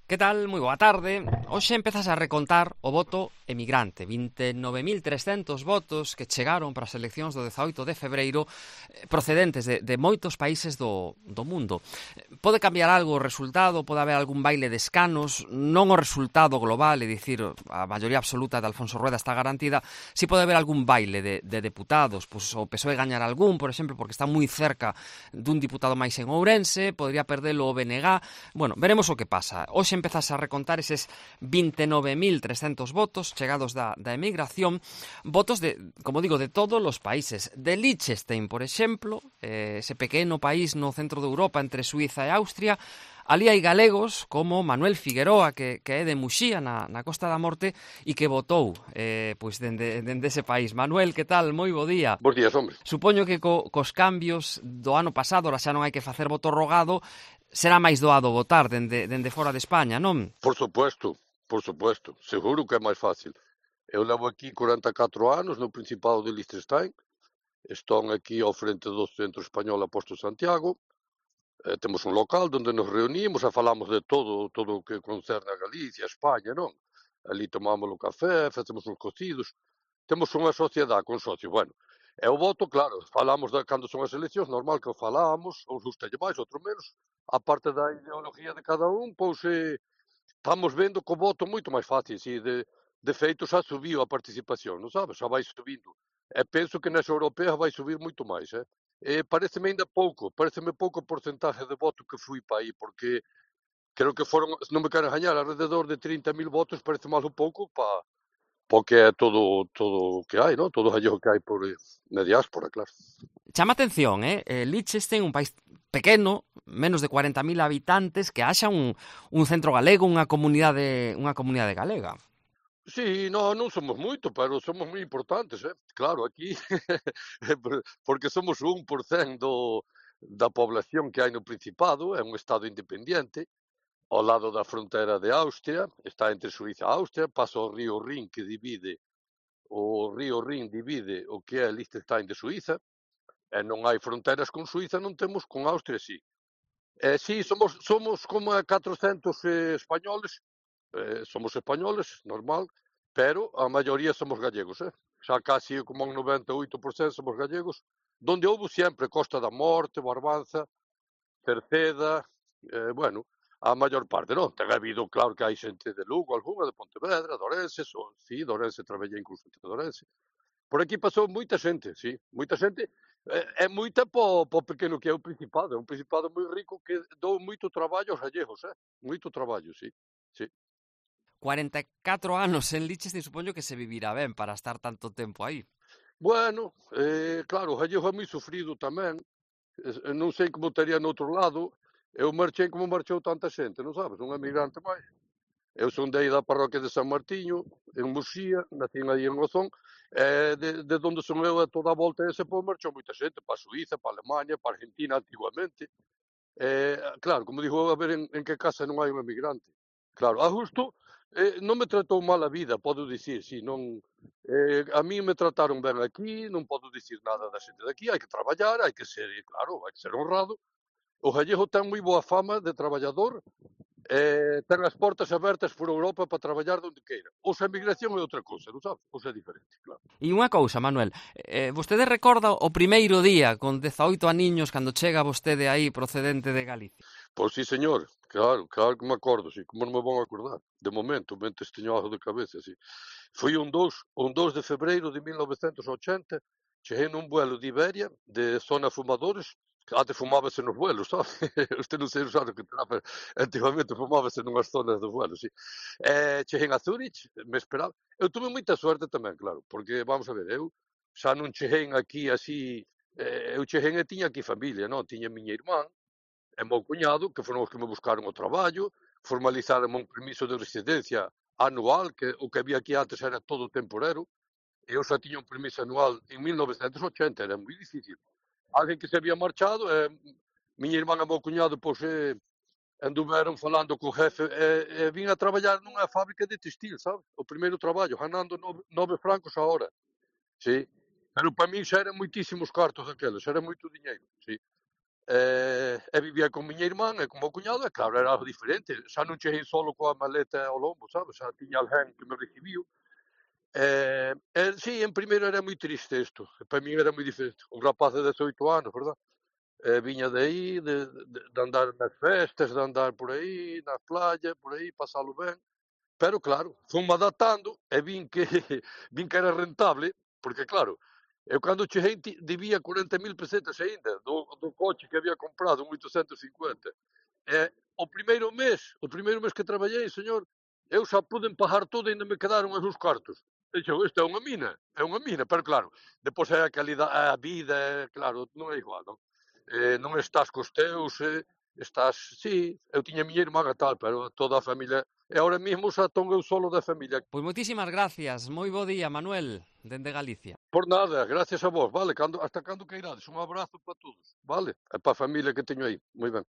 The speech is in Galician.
Que tal? Moi boa tarde. Hoxe empezas a recontar o voto emigrante. 29.300 votos que chegaron para as eleccións do 18 de febreiro procedentes de moitos países do mundo. Pode cambiar algo o resultado, pode haber algún baile de escanos, non o resultado global, é dicir, a maioría absoluta de Alfonso Rueda está garantida, si pode haber algún baile de deputados, pois o PSOE gañar algún, por exemplo, porque está moi cerca dun diputado máis en Ourense, podría perdelo o BNG. Bueno, veremos o que pasa. Hoxe empezas a recontar eses 29.300 votos chegados da emigración, votos de, como digo, de todos os países. De Liechtenstein, por exemplo, ese pequeno país no centro de Europa entre Suiza e Austria. Ali hai galegos como Manuel Figueroa, que é de Muxía, na Costa da Morte, e que votou pois dende ese país. Manuel, que tal? Moi bo día. Bos días, hombre. Supoño que cos cambios do ano pasado, ora xa non hai que facer voto rogado, será máis doado votar dende fora de España, non? Por supuesto. Seguro que é máis fácil. Eu levo aquí 44 anos no Principado de Liechtenstein. Estou aquí ao frente do Centro Español Apóstol Santiago. Temos un local onde nos reunimos e falamos de todo o que concerne a Galicia, a España, non? Ali tomamos o café, facemos uns cocidos. Temos unha sociedade con socios. Bueno, e o voto, claro, falamos de cando son as eleccións, normal que o falamos, uns gustalle máis, outro menos. A parte da ideología de cada un, pois estamos vendo co voto moito máis fácil, si, de feito xa subiu a participación, non sabes? Xa vai subindo. E penso que nas europeas vai subir moito máis, pareceme ainda pouco, pareceme pouco o porcentaje de voto que fui para aí, porque creo que foron, non me quero engañar, alrededor de 30.000 votos, parece máis un pouco para que é todo o que hai, non? Todo o que hai por na diáspora, claro. Chama atención, Liechtenstein, un país pequeno, menos de 40.000 habitantes, que haxa un centro galego, unha comunidade galega. Sí, non somos moito, pero somos moi importantes, Claro, aquí, porque somos o 1% da población que hai no Principado, é un estado independente, ao lado da fronteira de Austria, está entre Suíza e Austria, pasa o río Rin divide o que é Liechtenstein de Suíza, e non hai fronteiras con Suíza, non temos con Austria, sí. Sí, somos como 400 españoles, somos españoles, normal, pero a maioría somos gallegos, xa casi como un 98% somos gallegos, donde houve sempre Costa da Morte, Barbanza, Cerceda, bueno, a maior parte, non? Ten habido, claro que hai xente de Lugo, algunha de Pontevedra, de Ourense, sí, de Ourense traballei incluso entre de Ourense. Por aquí pasou moita xente, sí, moita xente, é moita po pequeno que é o Principado, é un Principado moi rico que dou moito traballo aos gallegos, moito traballo, sí, sí. 44 anos en Liechtenstein, supoño que se vivirá ben para estar tanto tempo aí. Bueno, claro, o gallego é moi sufrido tamén, non sei como estaría no outro lado, eu marchei como marchou tanta xente, non sabes, un emigrante máis. Eu son de aí da parroquia de San Martiño, en Muxía, nací aí en Ozón, de onde son eu a toda a volta ese pois marchou moita xente, para a Suíza, para a Alemania, para a Argentina antigamente. Claro, como digo, a ver en que casa non hai un emigrante. Claro, a justo non me tratou mal a vida, podo dicir, si, non, a mí me trataron ben aquí, non podo dicir nada da xente de aquí, hai que traballar, hai que ser, claro, hai que ser honrado. O gallego ten moi boa fama de traballador, ten as portas abertas por Europa para traballar onde queira. Ou a emigración é outra cousa, non sabes? Ou é diferente, claro. E unha cousa, Manuel, vostede recorda o primeiro día con 18 aniños cando chega vostede aí procedente de Galicia? Pois sí, señor, claro que me acordo, sí, como non me vão acordar. De momento, mentes teño algo de cabeza, sí. Foi un 2 de febreiro de 1980, cheguei nun vuelo de Iberia, de zona fumadores, antes fumábase nos vuelos, sabe? Usted non sei usar o que terá, pero antigamente fumábase nunhas zonas do vuelo, sí. Cheguei a Zurich, me esperaba. Eu tuve moita suerte tamén, claro, porque, vamos a ver, eu xa non cheguei aquí así, eu cheguei e tiña aquí familia, non? Tiña miña irmán, e meu cuñado, que foron os que me buscaron o traballo, formalizaron un permiso de residencia anual, que o que había aquí antes era todo temporero, e eu xa tiña un permiso anual en 1980, era moi difícil. Alguén que se había marchado, miña irmán e meu cuñado, pois, anduveron falando co jefe, vin a traballar nunha fábrica de textil, sabes? O primeiro traballo, ganando 9 francos a hora, sí. Pero para min xa eran moitísimos cartos aqueles, era moito diñeiro, sí. E vivía con miña irmán e con o meu cuñado, e claro, era algo diferente. Xa non cheguei solo coa maleta ao lombo, sabes? Xa tiña alguén que me recibiu. Sí, en primeiro era moi triste isto. Para min era moi diferente. Un rapaz de 18 anos, verdad? Viña de aí, de andar nas festas, de andar por aí, na playa, por aí, pasalo ben. Pero claro, fun-me adaptando e vin que vin que era rentable, porque claro, eu cando cheguei debía 40.000 pesetas aínda do coche que había comprado, un 850. E o primeiro mes que traballei, señor, eu xa puden pagar todo e aínda me quedaron os meus cartos. E dixo, isto é unha mina, pero claro, depois é a calidade, a vida, claro, non é igual, non? Non estás cos teus, estás, sí, eu tiña a miña irmá e tal, pero toda a familia, e ahora mesmo xa ton eu solo da familia. Pois moitísimas gracias, moi bo día, Manuel, dende Galicia. Por nada, gracias a vos, vale, hasta cando queirades, un abrazo para todos, vale, e para a familia que teño aí, moi ben.